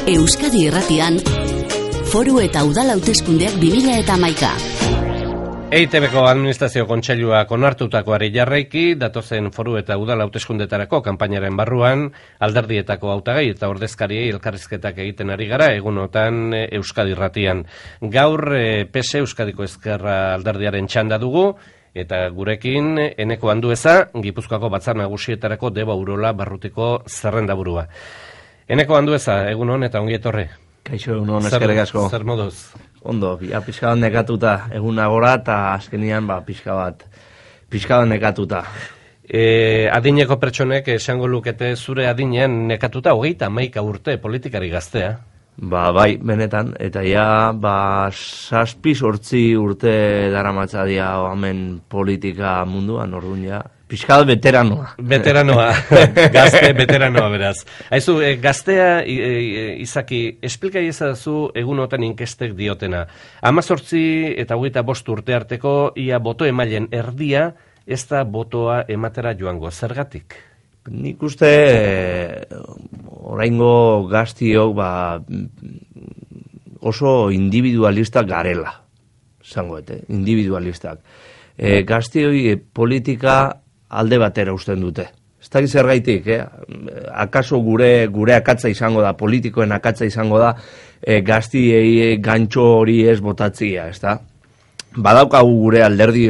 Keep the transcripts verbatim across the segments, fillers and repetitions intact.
Euskadi Irratian, Foru eta Udal hauteskundeak bi mila hamaika. E I Te Beko Administrazio Kontseiluak onartutakoari jarraiki, datozen foru eta udal hauteskundetarako kanpainaren barruan, alderdietako hautagai eta ordezkariei elkarrizketak egiten ari gara, egunotan Euskadi Irratian. Gaur P S Euskadiko Ezkerra alderdiaren txanda dugu, eta gurekin Eneko Andueza, Gipuzkoako Batzar Nagusietarako Deba Urola Barrutiko zerrendaburua. Eneko Andueza, egun hon eta ongi etorri. Kaixo, egun hon, eskerrik asko. Zer moduz? Ondo, ja, pixka bat nekatuta, egun agora, eta azkenian, ba, pixka bat, pixka bat nekatuta. E, adineko pertsonek esango lukete zure adinean nekatuta, hogeita hamaika urte politikari gaztea. Ba, bai, benetan, eta ja, ba, zazpi sortzi urte daramatza dia hemen politika munduan, orduan ja, pixka bat veteranoa. Veteranoa, gazte veteranoa beraz. Haizu, e, gaztea, e, e, Izaki, esplikai ezazu egunotan inkestek diotena. Hamazortzi eta hogeita bost urte arteko ia boto emailen erdia, ez da botoa ematera joango, zergatik? Nik uste e, oraingo gaztiok ba, oso individualistak garela, zangoete, individualistak. E, gaztioi e, politika alde batera usten dute. Ez da zergaitik, eh? Akaso gure gure akatza izango da, politikoen akatza izango da, e, gaztiei gantxo hori ez botatzia, ez da? Badaukagu gure alderdi,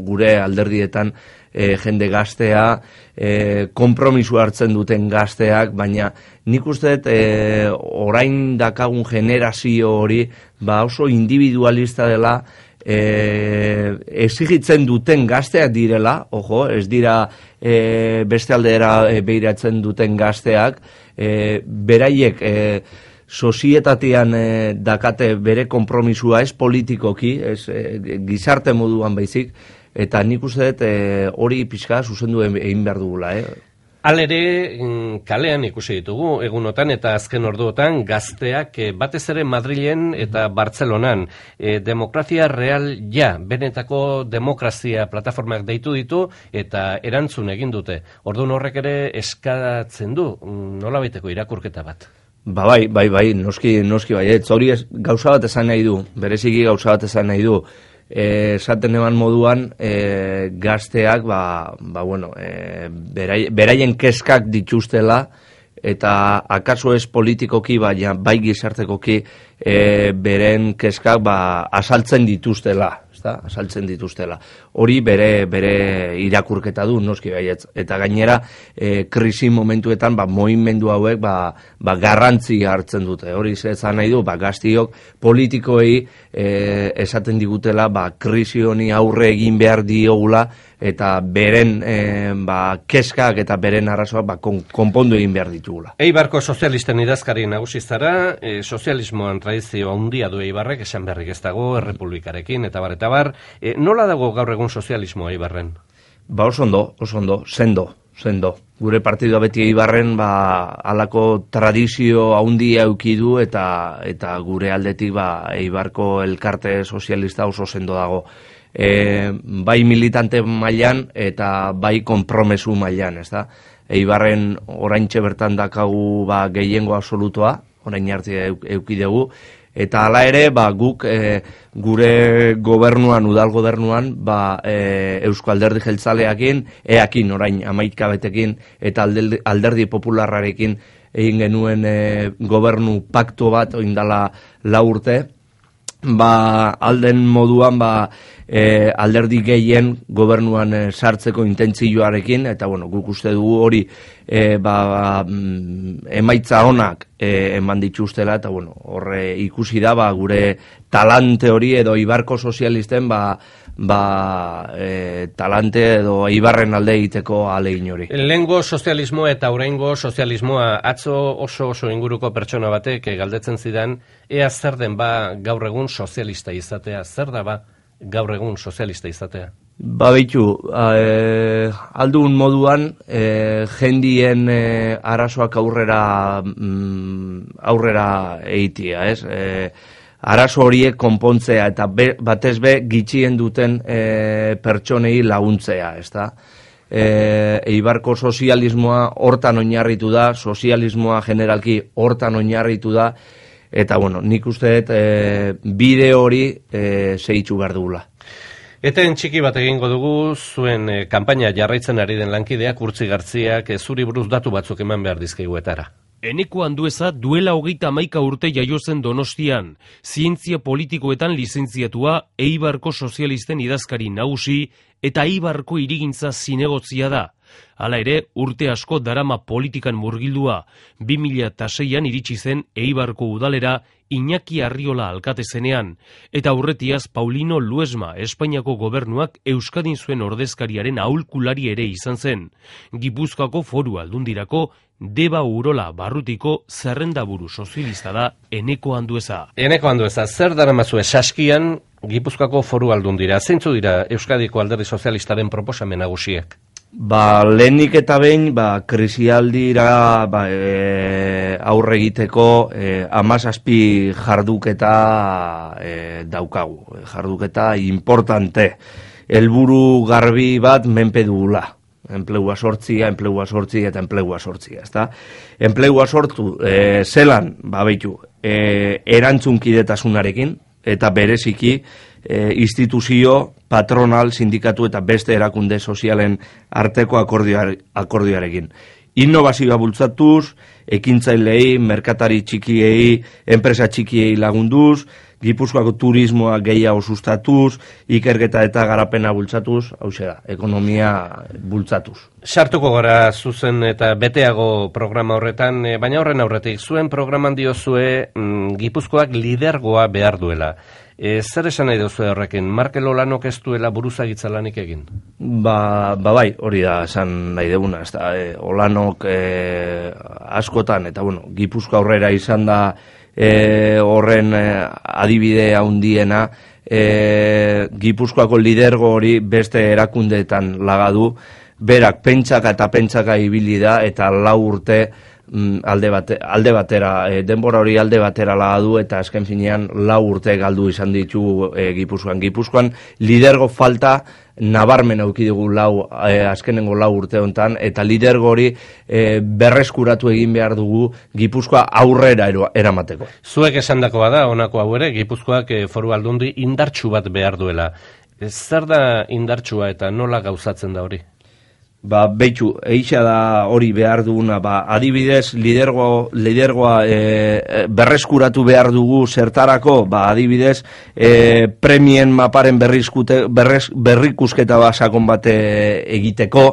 gure alderdietan e, jende gaztea, e, konpromisu hartzen duten gazteak, baina nik uste e, orain dakagun generazio hori ba oso individualista dela, e, exigitzen duten gazteak direla, ojo, ez dira e, beste aldera e, behiratzen duten gazteak, e, beraiek e, sozietatean e, dakate bere konpromisua ez politikoki, ez e, gizarte moduan baizik, eta nik uste dut e, hori pixka zuzendu egin behar dugula. Eh? Alere, kalean ikusi ditugu, egunotan eta azken orduotan, gazteak batez ere Madrilen eta Bartzelonan. E, demokrazia real ja, benetako demokrazia plataformak deitu ditu eta erantzun egin dute. Orduan horrek ere eskatzen du, nola baiteko irakurketa bat? Ba bai, bai, bai, noski, noski bai, ez hori ez, gauza bat esan nahi du, bereziki gauza bat esan nahi du. Esaten eman moduan e, gazteak ba, ba, bueno, e, berai, beraien kezkak dituztela eta akaso ez politikoki baina bai gizartekoki e, beren kezkak ba, asaltzen dituztela, ezta? Asaltzen dituztela. Hori bere bere irakurketa du noski baietz, eta gainera e, krisi momentuetan ba mugimendu hauek ba, ba garrantzi hartzen dute. Hori esan nahi du ba gaztiok politikoei e, esaten digutela ba krisi honi aurre egin behar diogula eta beren e, ba kezkak eta beren arazoak ba kon, konpondu egin behar ditugula. Eibarko sozialisten idazkari nagusi zara, e, sozialismoan tradizio handia du Eibarrek, esan berrik ez dago, errepublikarekin eta bar eta bar. E, nola dago gaur egun sozialismoa Eibarren? Ba oso ondo, oso ondo, sendo, sendo. Gure partidua beti Eibarren ba halako tradizio handia eduki du eta eta gure aldetik ba Eibarko elkarte sozialista oso sendo dago. E, bai militante mailan eta bai konpromesu mailan, ezta? Eibarren oraintxe bertan dakagu ba gehiengo absolutoa, orain arte eduki dugu. Eta hala ere, ba, guk e, gure gobernuan, udal gobernuan, ba, e, Eusko Alderdi Jeltzaleakin, eakin orain hamaika betekin, eta alderdi, alderdi popularrarekin egin genuen e, gobernu paktu bat, oindala lau urte, ba, alden moduan, ba, e, alderdi gehien gobernuan e, sartzeko intentzioarekin, eta bueno, guk uste dugu hori e, ba, emaitza onak e, eman dituztela, eta bueno, horre ikusi da ba, gure talante hori edo Eibarko sozialisten ba, ba, e, talante edo Eibarren alde egiteko ahalegin hori. Lehengo sozialismoa eta oraingo sozialismoa, atzo oso oso inguruko pertsona batek galdetzen zidan, ea zer den ba gaur egun sozialista izatea, zer da ba gaur egun sozialista izatea? Ba behitu, e, aldun moduan e, jendien e, arazoak aurrera mm, aurrera eitia, ez? E, arazo horiek konpontzea eta be, batez be gitxien duten e, pertsonei laguntzea, ez da? e, Eibarko sozialismoa hortan oinarritu da, sozialismoa generalki hortan oinarritu da, eta bueno, nik uste dut e, bide hori e, zehitzu behar dugula. Eten txiki bat egingo dugu, zuen e, kanpaina jarraitzen ari den lankideak, Urtzi Gartziak, e, zuri buruz datu batzuk eman behar dizkiguetara. Eneko Andueza duela hogeita hamaika urte jaio zen Donostian, zientzia politikoetan lizentziatua, Eibarko sozialisten idazkari nagusi eta Eibarko hirigintza zinegotzia da. Hala ere, urte asko darama politikan murgildua, bi mila seian iritsi zen Eibarko udalera Iñaki Arriola alkate zenean, eta aurretiaz Paulino Luesma Espainiako gobernuak Euskadin zuen ordezkariaren aholkulari ere izan zen. Gipuzkoako Foru Aldundirako Deba Urola Barrutiko zerrendaburu sozialista da Eneko Andueza. Eneko Andueza, zer daramazue saskian Gipuzkoako Foru Aldundira? Zeintzu dira Euskadiko Alderdi Sozialistaren proposamen nagusiak? Ba, lehenik eta behin, ba, krisialdira ba, e, aurre egiteko e, amazazpi jarduketa e, daukagu. Jarduketa importante. Helburu garbi bat menpe dugula. Enplegua sortzia, enplegua sortzia eta enplegua sortzia, ezta? Enplegua sortu, e, zelan, ba, beitu, e, erantzunkidetasunarekin, eta bereziki e, instituzio, patronal, sindikatu eta beste erakunde sozialen arteko akordioare, akordioarekin. Innovazioa bultzatuz, ekintzailei, merkatari txikiei, enpresa txikiei lagunduz, Gipuzkoako turismoa gehiago sustatuz, ikerketa eta garapena bultzatuz, hau da, ekonomia bultzatuz. Sartuko gara zuzen eta beteago programa horretan, baina horren aurretik, zuen programan diozue mm, Gipuzkoak lidergoa behar duela. E, zer esan nahi duzu horrekin? Markel Olanok ez duela buruzagitza lanik egin? Ba, ba bai, hori da esan nahi duguna. Ez da, e, Olanok e, askotan, eta bueno, Gipuzko aurrera izan da e, horren e, adibide handiena, e, Gipuzkoako lidergo hori beste erakundeetan lagadu, berak pentsaka eta pentsaka ibili da, eta lau urte alde, bate, alde batera, e, denbora hori alde batera lagadu, eta azken finean lau urte galdu izan ditu e, Gipuzkoan. Gipuzkoan lidergo falta nabarmen auki dugu lau, e, azkenengo lau urte hontan, eta lidergo hori e, berreskuratu egin behar dugu Gipuzkoa aurrera eramateko. Zuek esandakoa da, honako hau ere, Gipuzkoak e, Foru Aldundi indartsu bat behar duela. E, zer da indartsua eta nola gauzatzen da hori? Ba, beitzu, eixa da hori behar duguna, ba, adibidez, lidergo, lidergoa e, berreskuratu behar dugu zertarako, ba, adibidez, e, premien maparen berrizkute, berrez, berrikusketa basakon bate egiteko,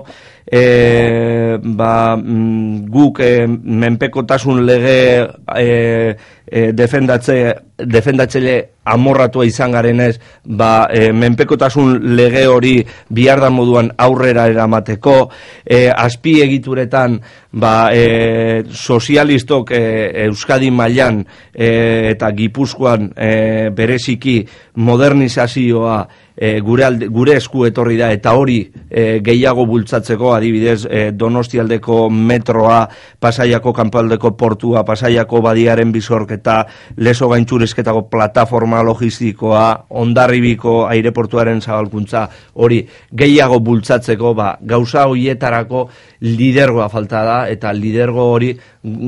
e, ba, guk e, menpekotasun lege e, e, defendatze, defendatzele amorratua izan garenez, ba, e, menpekotasun lege hori bihar da moduan aurrera eramateko, e, azpi egituretan ba, e, sozialistok e, Euskadi mailan e, eta Gipuzkoan e, bereziki modernizazioa e, gure, alde, gure esku etorri da, eta hori e, gehiago bultzatzeko, adibidez e, Donostialdeko metroa, Pasaiako kanpoaldeko portua, Pasaiako badiaren bizorketa, Lezo gaintxurezketako plataforma logistikoa, Hondarribiko aireportuaren zabalkuntza, hori gehiago bultzatzeko, ba, gauza horietarako lidergoa falta da, eta lidergo hori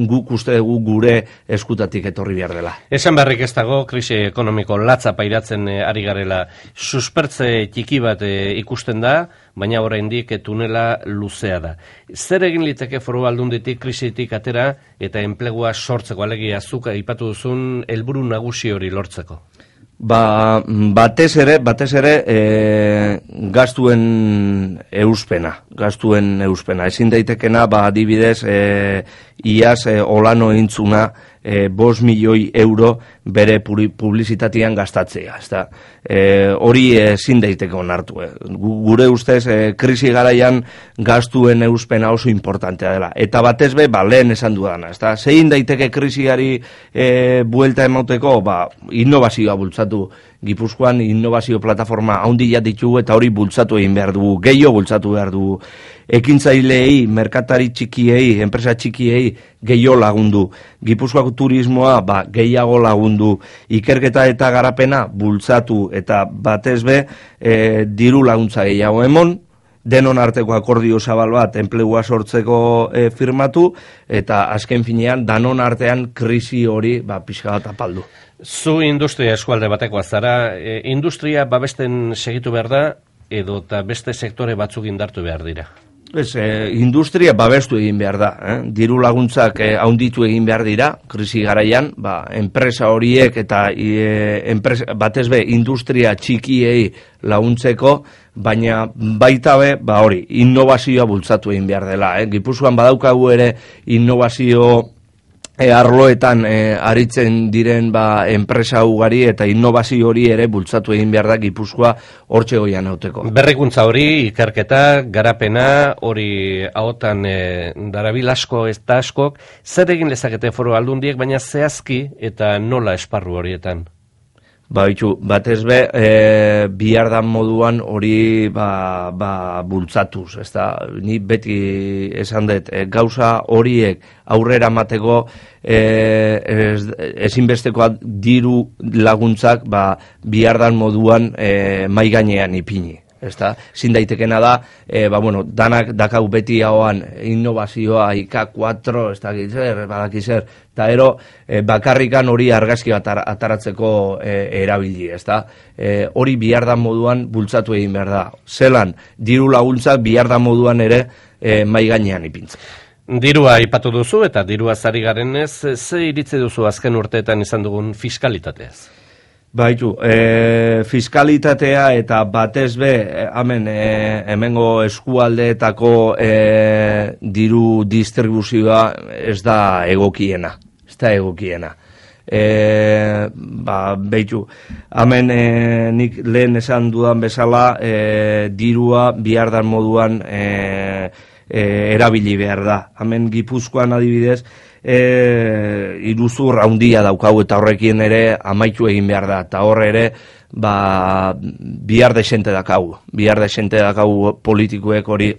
guk uste dugu gure eskutatik etorri behar dela. Esan beharrik ez dago, krisi ekonomiko latza pairatzen e, ari garela. Suspertze txiki bat e, ikusten da, baina oraindik tunela luzea da. Zer egin liteke Foru Aldunditik krisitik atera eta enplegua sortzeko, alegia zuk aipatu duzun helburu nagusi hori lortzeko? Ba, batez ere, batez ere e, gastuen euspena, gastuen euspena. Ezin daitekena, ba, adibidez, e, iaz e, Olano intzuna e, bost milioi euro bere publizitatean gastatzea. Ezta? E, hori ezin daiteke onartu. Eh. Gure ustez, e, krisi garaian gastuen euspena oso importantea dela. Eta batez be, ba, lehen esan dudana. Ezta? Zein daiteke krisiari e, buelta emauteko, ba, innovazioa bultzatu. Gipuzkoan innovazio plataforma handia ditugu eta hori bultzatu egin behar dugu, gehiago bultzatu behar dugu. Ekintzaileei, merkatari txikiei, enpresa txikiei gehiago lagundu. Gipuzkoako turismoa ba, gehiago lagundu. Ikerketa eta garapena bultzatu eta batez be e, diru laguntza gehiago emon, denon arteko akordio zabal bat enplegua sortzeko e, firmatu, eta azken finean danon artean krisi hori ba, pixka bat apaldu. Zu industria eskualde batekoa zara, e, industria babesten segitu behar da, edo eta beste sektore batzuk indartu behar dira? Ez, e, industria babestu egin behar da. Eh? Diru laguntzak e, haunditu egin behar dira, krisi garaian, ba, enpresa horiek eta e, enpresa, batez be, industria txikiei laguntzeko, baina baita be, ba hori, innovazioa bultzatu egin behar dela. Eh? Gipuzkoan badaukagu ere innovazio E, arloetan e, aritzen diren ba, enpresa ugari eta innovazio hori ere bultzatu egin behar da Gipuzkoa hortxe goian hauteko. Berrikuntza hori, ikerketa, garapena, hori ahotan e, darabil asko ez da askok, zer egin lezakete foru aldundiek, baina zehazki eta nola esparru horietan? Ba, itxu, batez be, e, bihardan moduan hori ba, ba, bultzatuz, ez da, ni beti esan dut, e, gauza horiek aurrera mateko e, ez, ezinbestekoa diru laguntzak ba, bihardan moduan e, mai gainean ipini. Ezta, zin daitekena da, e, ba, bueno, danak dakau beti hauan innovazioa, I K kuatro, ez da gitzer, badakizer, eta ero e, bakarrikan hori argazki bat ataratzeko e, erabili, ez da, e, hori bihardan moduan bultzatu egin behar da. Zelan, diru laguntzak bihardan moduan ere e, mai gainean ipintzen. Dirua aipatu duzu eta dirua zari garenez, ze iritzi duzu azken urteetan izan dugun fiskalitateaz? Baitu, e, fiskalitatea eta batez be, hemen e, hemengo eskualdeetako e, diru distribuzioa ez da egokiena, ez da egokiena. E, ba, baitu, hemen e, nik lehen esan dudan bezala, e, dirua bihardan moduan e, e, erabili behar da. Hemen Gipuzkoan adibidez, E, iruzur handia daukau eta horrekin ere amaitu egin behar da, eta horre ere ba, bihar desente dakau, bihar desente dakau politikoek hori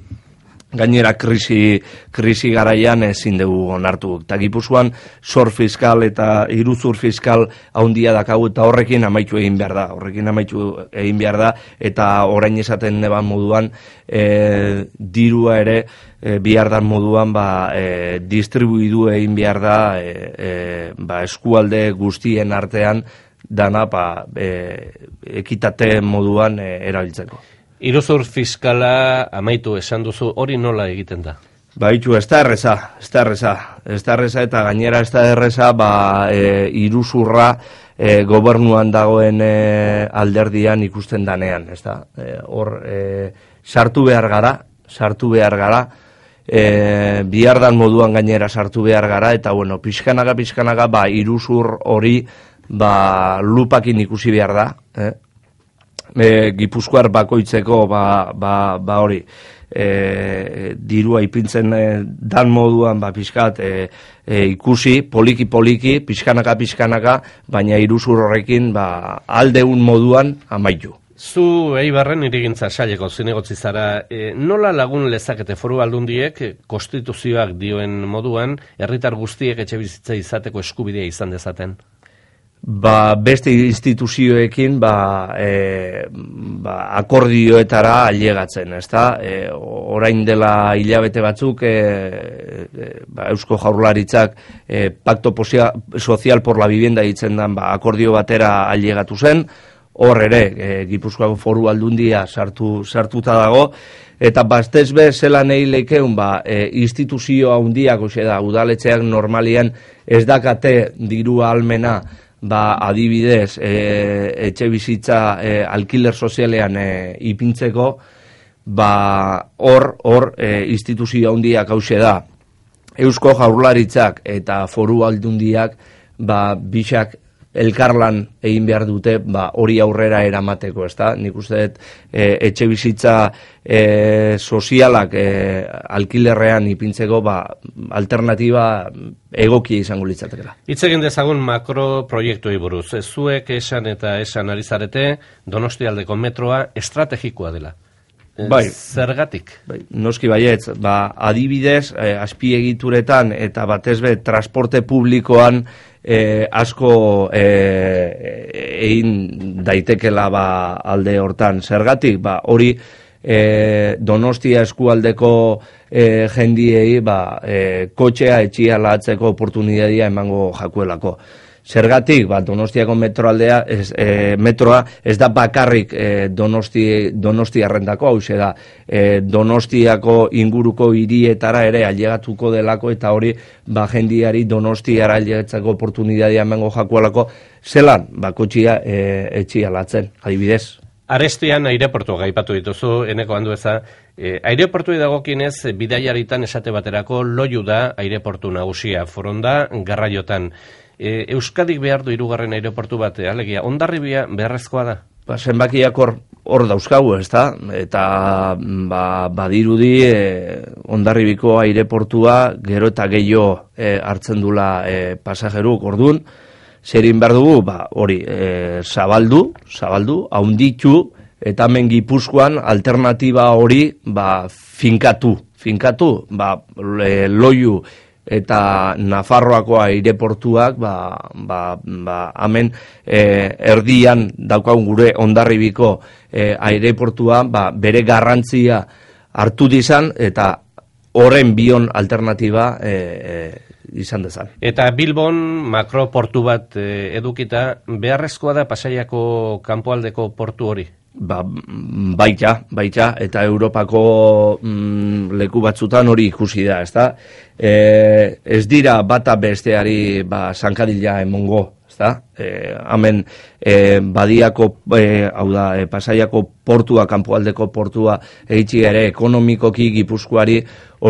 gainera krisi, krisi garaian ezin dugu onartu. Eta Gipuzkoan zor fiskal eta iruzur fiskal handia dakau eta horrekin amaitu egin behar da, horrekin amaitu egin behar da, eta orain esaten neban moduan e, dirua ere e, bihardan moduan ba, e, distribuidu egin behar da e, e, ba, eskualde guztien artean dana ba, e, ekitate moduan e, erabiltzeko. Iruzur fiskala amaitu esan duzu, hori nola egiten da? Baitu, ez da erreza, ez da erreza, ez da erreza eta gainera ez da erreza ba, e, iruzurra e, gobernuan dagoen e, alderdian ikusten danean, ez da, e, hor e, sartu behar gara, sartu behar gara, e, bihardan moduan gainera sartu behar gara, eta bueno, pixkanaga, pixkanaga, ba, iruzur hori ba, lupakin ikusi behar da, eh? E, Gipuzkoar bakoitzeko ba, ba, ba hori e, dirua ipintzen e, dan moduan ba, pixkat e, e, ikusi, poliki poliki, pixkanaka pixkanaka, baina iruzur horrekin ba, aldeun moduan amaitu. Zu Eibarren irigintza saileko zinegotzi zara, e, nola lagun lezakete foru aldundiek konstituzioak dioen moduan herritar guztiek etxebizitza izateko eskubidea izan dezaten? Ba, beste instituzioekin ba, e, ba, akordioetara ailegatzen, ezta? E, orain dela hilabete batzuk e, e, ba, Eusko Jaurlaritzak e, Pacto Social por la Vivienda ditzen dan ba, akordio batera ailegatu zen, hor ere e, Gipuzkoako foru aldundia sartu, sartuta dago, eta bastez be zelan eileikeun ba, e, instituzio handiak, oxe da, udaletxeak normalian ez dakate diru almena ba, adibidez, e, etxe bizitza e, alkiler sozialean e, ipintzeko, ba, hor, hor, e, instituzio handiak hause da. Eusko Jaurlaritzak eta foru aldundiak, ba, bixak elkarlan egin behar dute, ba, hori aurrera eramateko, ezta? Nik uste dut e, etxe bizitza e, sozialak e, alkilerrean ipintzeko, ba, alternatiba egokia izango litzatekela. Hitz egin dezagun makro proiektuei buruz. Zuek esan eta esan ari zarete Donostialdeko metroa estrategikoa dela. Bai, zergatik? Bai, noski baietz, ba, adibidez, eh, azpiegituretan eta batez be transporte publikoan eh, asko eh, egin daitekela ba, alde hortan. Zergatik, ba, hori e, Donostia eskualdeko e, jendiei ba, e, kotxea etxia latzeko oportunidadia emango jakuelako. Zergatik, ba, Donostiako metroaldea, ez, e, metroa ez da bakarrik e, Donosti, Donostiarrendako, hau da, e, Donostiako inguruko hirietara ere ailegatuko delako, eta hori ba, jendiari Donostiara ailegatzeko oportunitatea emango jakuelako, zelan, ba, kotxia e, etxia latzen, adibidez. Arestian aireportua gaipatu dituzu, eneko handueza, e, aireportu dagokinez bidaiaritan esate baterako loiu da aireportu nagusia, Foronda, Garraiotan. E, Euskadik behar du hirugarren aireportu bat, alegia, Hondarribia beharrezkoa da? Ba, zenbakiak hor, hor dauzkagu, ez da? Eta ba, badirudi e, Hondarribiko aireportua gero eta gehiago e, hartzen dula e, pasajeruk, orduan, zerin behar dugu, ba, hori, e, zabaldu, zabaldu, haunditu, eta hemen Gipuzkoan alternatiba hori ba, finkatu, finkatu, ba, e, loiu, eta Nafarroako aireportuak ba, ba, ba, hemen e, erdian daukagun gure Hondarribiko e, aireportua ba, bere garrantzia hartu dizan eta horren bion alternatiba e, e, izan dezan. Eta Bilbon makroportu bat e, edukita beharrezkoa da Pasaiako kanpoaldeko portu hori? Ba, baita, baita, eta Europako mm, leku batzutan hori ikusi da, ezta? E, ez dira bata besteari ba, zankadila emongo, ezta? E, hemen e, badiako, e, hau da, e, Pasaiako portua, kanpoaldeko portua eitzi ere ekonomikoki Gipuzkoari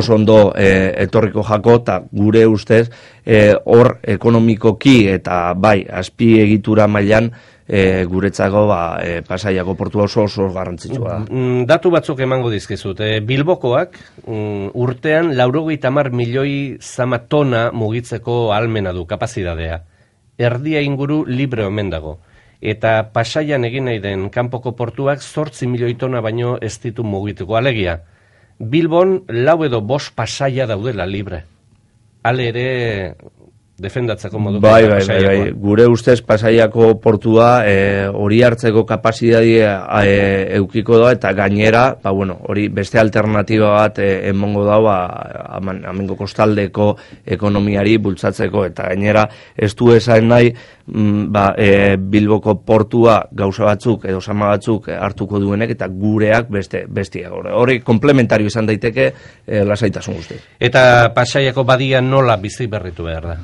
oso ondo e, etorriko jako, eta gure ustez e, hor ekonomikoki eta bai, azpi egitura mailan E, guretzako ba, e, Pasaiako portua oso oso garrantzitsua da. Datu batzuk emango dizkizut. E, Bilbokoak mm, urtean laurogeita hamar milioi zama tona mugitzeko ahalmena du, kapazitatea. Erdia inguru libre omen dago. Eta Pasaian egin nahi den kanpoko portuak zortzi milioi tona baino ez ditu mugituko. Alegia, Bilbon lau edo bost Pasaia daudela libre. Ale ere defendatzeko moduko. Bai, bai, bai, bai. Gure ustez Pasaiako portua hori e, hartzeko kapazitatea e, eukiko da, eta gainera, ba, bueno, hori beste alternatiba bat e, emongo da, ba, amengo kostaldeko ekonomiari bultzatzeko, eta gainera ez du esan nahi mm, ba, e, Bilboko portua gauza batzuk edo sama batzuk hartuko duenek, eta gureak beste bestia. Hori komplementario izan daiteke e, lasaitasun guzti. Eta Pasaiako badia nola bizi berritu behar da?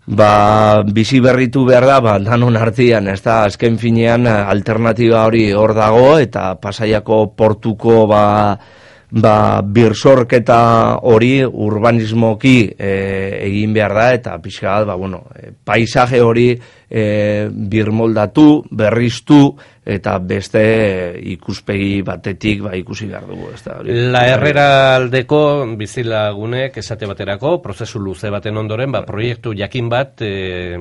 Ba, bizi berritu behar da, ba, danon artean, ez da, azken finean alternatiba hori hor dago, eta Pasaiako portuko ba, ba, birsorketa hori urbanismoki e, egin behar da, eta pixka bat, ba, bueno, e, paisaje hori e, birmoldatu, berriztu, eta beste ikuspegi batetik ba, ikusi behar dugu. Ez da, hori. La Herrera aldeko bizilagunek esate baterako, prozesu luze baten ondoren, ba, proiektu jakin bat e,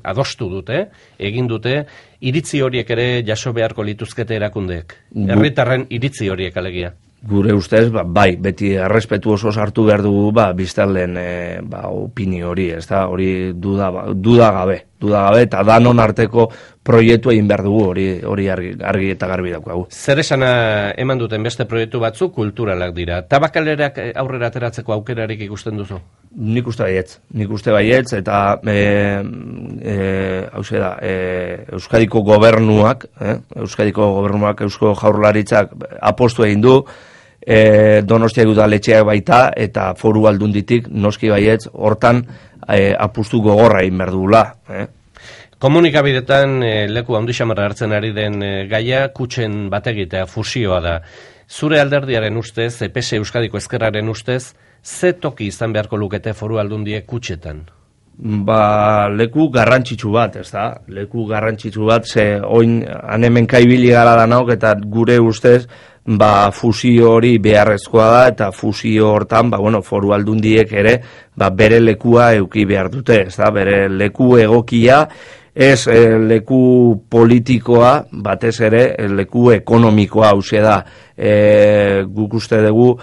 adostu dute, egin dute, iritzi horiek ere jaso beharko lituzkete erakundeek. Herritarren iritzi horiek alegia. Gure ustez, ba, bai, beti errespetu oso sartu behar dugu, ba, biztanleen e, ba, opinio hori, ez da, hori duda, ba, duda gabe, duda gabe, eta danon arteko proiektu egin behar dugu, hori, hori argi, argi eta garbi daukagu. Zer esana eman duten beste proiektu batzuk kulturalak dira. Tabakalerak aurrera ateratzeko aukerarik ikusten duzu? Nik uste baietz, nik uste baietz, eta e, e, hause da, e, Euskadiko gobernuak, eh? Euskadiko gobernuak, Eusko Jaurlaritzak apostu egin du, E, Donostia udaletxeak baita, eta foru aldunditik noski baietz hortan e, apustu gogorra egin behar dugula. Eh? Komunikabidetan e, leku handi xamarra hartzen ari den e, gaia kutxen bategitea, fusioa da. Zure alderdiaren ustez, E P S Euskadiko Ezkerraren ustez, ze toki izan beharko lukete foru aldundiek kutxetan? Ba, leku garrantzitsu bat, ez da? Leku garrantzitsu bat, ze oin hanemen kaibili gara danok, eta gure ustez, ba, fusio hori beharrezkoa da, eta fusio hortan, ba, bueno, foru aldundiek ere, ba, bere lekua euki behar dute, ez da? Bere leku egokia, ez e, leku politikoa, batez ere e, leku ekonomikoa hauxe da. E, guk uste dugu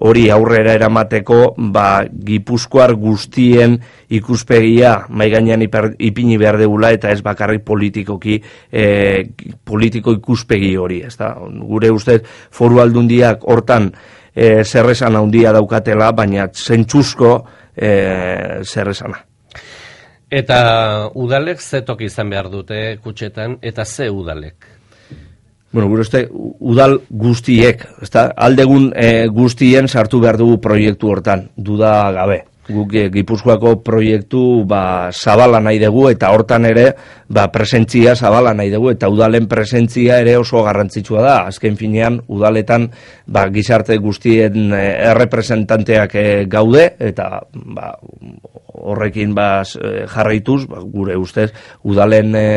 hori aurrera eramateko ba, Gipuzkoar guztien ikuspegia mai gainean ipini behar degula eta ez bakarrik politikoki e, politiko ikuspegi hori, ezta? Gure ustez Foru Aldundiak hortan e, zerresan handia daukatela, baina zentzuzko e, zerresana. Eta udalek ze toki izan behar dute kutxetan, eta ze udalek? Bueno, gure uste, udal guztiek, ezta? Aldegun e, guztien sartu behar dugu proiektu hortan, duda gabe. Guk e, Gipuzkoako proiektu ba, zabala nahi dugu, eta hortan ere ba, presentzia zabala nahi dugu, eta udalen presentzia ere oso garrantzitsua da. Azken finean, udaletan ba, gizarte guztien e, errepresentanteak e, gaude, eta ba, horrekin ba, jarraituz, ba, gure ustez, udalen e,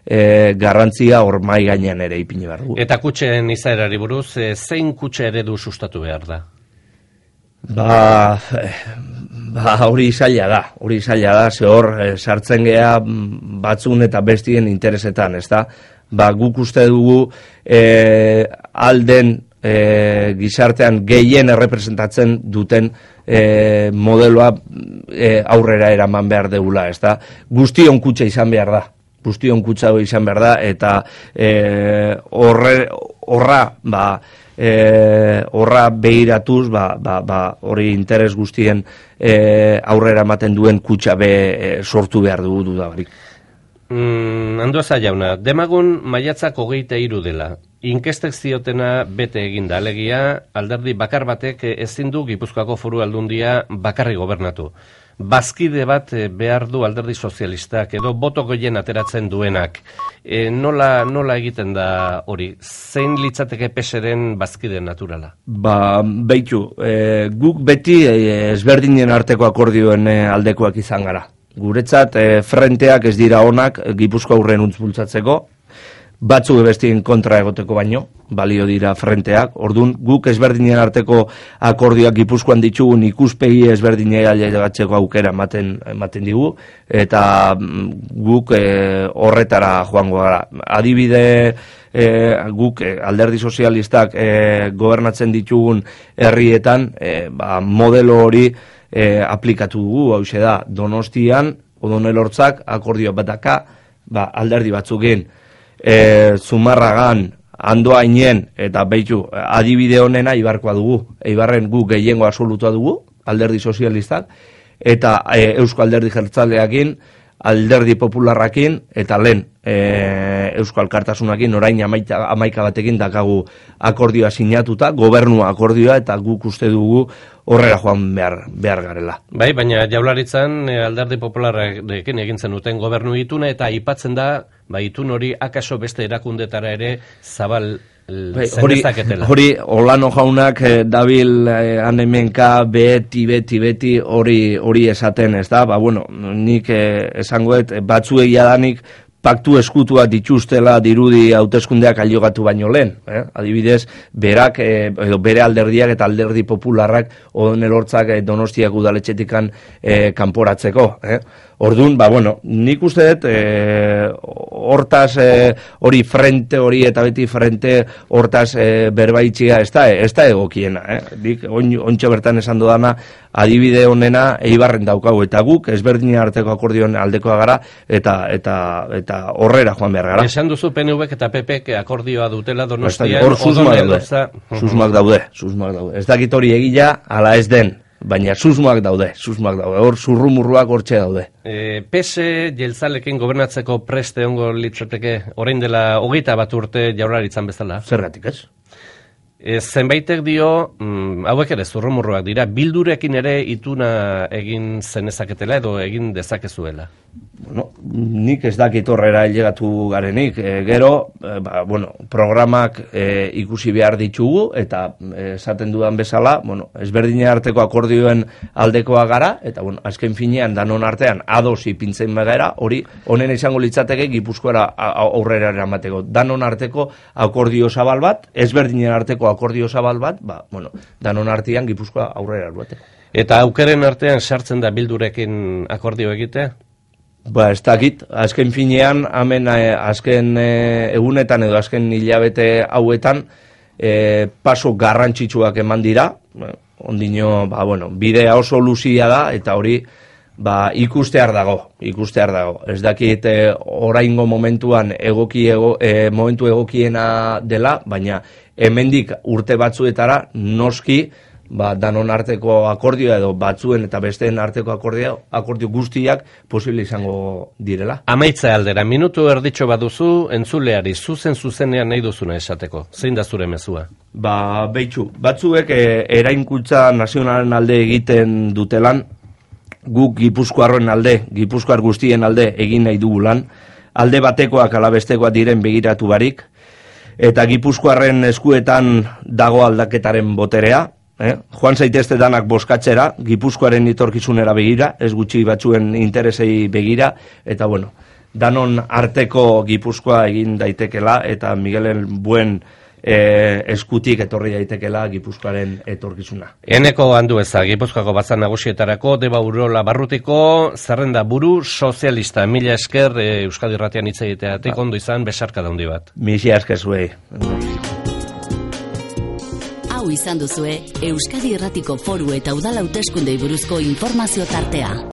e, garrantzia hor mai gainean ere ipini behar dugu. Eta kutxen izaerari buruz, e, zein kutxe eredu sustatu behar da? Ba, ba hori zaila da, hori zaila da, ze hor e, sartzen gea batzun eta bestien interesetan, ezta? Ba, guk uste dugu e, alden e, gizartean gehien errepresentatzen duten e, modeloa e, aurrera eraman behar degula, ezta? Guztion kutxa izan behar da, guztion kutxa izan behar da, eta e, horre, horra, ba, E, horra behiratuz ba, ba, ba, hori interes guztien e, aurrera ematen duen kutxa be e, sortu behar dugu dudabarik. Mm, Andueza jauna, demagun maiatzak hogeita hiru dela. Inkestek ziotena bete eginda, alegia alderdi bakar batek ezin du Gipuzkoako Foru Aldundia bakarri gobernatu. Bazkide bat behar du alderdi sozialistak edo boto gehien ateratzen duenak. E, nola, nola egiten da hori? Zein litzateke peseren bazkide naturala? Ba, beitu, e, guk beti e, ezberdinen arteko akordioen e, aldekoak izan gara. Guretzat, e, frenteak ez dira onak Gipuzkoa aurren untz bultzatzeko, batzuk bestien kontra egoteko baino, balio dira frenteak. Ordun guk ezberdinen arteko akordioak Gipuzkoan ditugun ikuspegi ezberdinei ailegatzeko aukera ematen ematen digu, eta guk e, horretara joango gara. Adibide, e, guk e, alderdi sozialistak e, gobernatzen ditugun herrietan e, ba, modelo hori e, aplikatu dugu, hauxe da, Donostian, Odonel Hortzak akordio bataka, ba, alderdi batzukin, E, Zumarragan, Andoainen eta beitu adibide honena Ibarkoa dugu. Ibarren gu gehiengo absolutua dugu, alderdi sozialistak, eta e, Eusko Alderdi Jeltzaleakin, Alderdi Popularrakin, eta lehen e, Eusko Alkartasunakin orain amaika, amaika batekin dakagu akordioa sinatuta, gobernua akordioa, eta guk uste dugu horrela joan behar, behar garela. Bai, baina Jaurlaritzan Alderdi Popularrarekin egin zenuten gobernu ituna, eta aipatzen da ba, itun hori akaso beste erakundetara ere zabal bai, hori, hori Olano jaunak eh, dabil eh, anemenka beti, beti, beti hori hori esaten, ez da? Ba, bueno, nik eh, esangoet batzuei jadanik paktu eskutua dituztela dirudi hauteskundeak ailegatu baino lehen. Eh? Adibidez, berak, eh, edo bere alderdiak eta alderdi popularrak Odonel Hortzak eh, Donostiak udaletxetikan eh, kanporatzeko. Eh? Orduan, ba, bueno, nik uste dut, e, hortaz, e, hori frente hori eta beti frente hortaz e, berbaitxia ez da, ez da egokiena. Eh? Dik, on, ontsa bertan esan dodana, adibide honena Eibarren daukagu, eta guk ezberdinen arteko akordioen aldekoa gara, eta eta eta horrera joan behar gara. Esan duzu P N Vk eta P Pk akordioa dutela Donostian, hor susmak daude, susmak daude, susmak daude. Ez dakit hori egila, ala ez den. Baina susmoak daude, susmoak daude, hor zurrumurruak hortxe daude. E, P S jeltzalekin gobernatzeko preste ongo litzateke, orain dela hogeita bat urte Jaurlaritzan bezala? Zergatik ez? E, zenbaitek dio, mm, hauek ere zurrumurruak dira, Bildurekin ere ituna egin zenezaketela edo egin dezakezuela? Bueno, nik ez dakit horrera ailegatu garenik, e, gero, e, ba, bueno, programak e, ikusi behar ditugu, eta esaten dudan bezala, bueno, ezberdinen arteko akordioen aldekoa gara, eta bueno, azken finean danon artean ados ipintzen bagara, hori honen izango litzateke Gipuzkoara aurrera eramateko. Danon arteko akordio zabal bat, ezberdinen arteko akordio zabal bat, ba, bueno, danon artean Gipuzkoa aurrera eramateko. Eta aukeren artean sartzen da Bildurekin akordio egitea? Ba, ez dakit, azken finean, hemen eh, azken eh, egunetan edo azken hilabete hauetan, eh, paso garrantzitsuak eman dira, ondino, ba, bueno, bidea oso luzia da, eta hori, ba, ikustear dago, ikustear dago. Ez dakit eh, oraingo momentuan egoki ego, eh, momentu egokiena dela, baina hemendik urte batzuetara noski, ba, danon arteko akordioa edo batzuen eta besteen arteko akordio, akordio guztiak posible izango direla. Amaitza aldera, minutu erditxo baduzu, entzuleari zuzen zuzenean nahi duzuna esateko. Zein da zure mezua? Ba, behitxu, batzuek e, erainkuntza nazionalen alde egiten dutelan, guk Gipuzkoarren alde, Gipuzkoar guztien alde egin nahi dugulan, alde batekoak ala bestekoak diren begiratu barik, eta Gipuzkoarren eskuetan dago aldaketaren boterea, eh? Joan zaitezte danak boskatzera, Gipuzkoaren etorkizunera begira, ez gutxi batzuen interesei begira, eta bueno, danon arteko Gipuzkoa egin daitekela, eta Miguelen buen E, eskutik etorri daitekela Gipuzkoaren etorkizuna. Eneko Andueza, Gipuzkoako batzar nagusietarako Deba Urola Barrutiko zerrenda buru sozialista. Mila esker e, Euskadi Irratian hitz egiteatik ondo izan, besarka daundi bat. Mila esker zuei. Hau izan duzue Euskadi Irratiko Foru eta Udal Hauteskundei buruzko informazio tartea.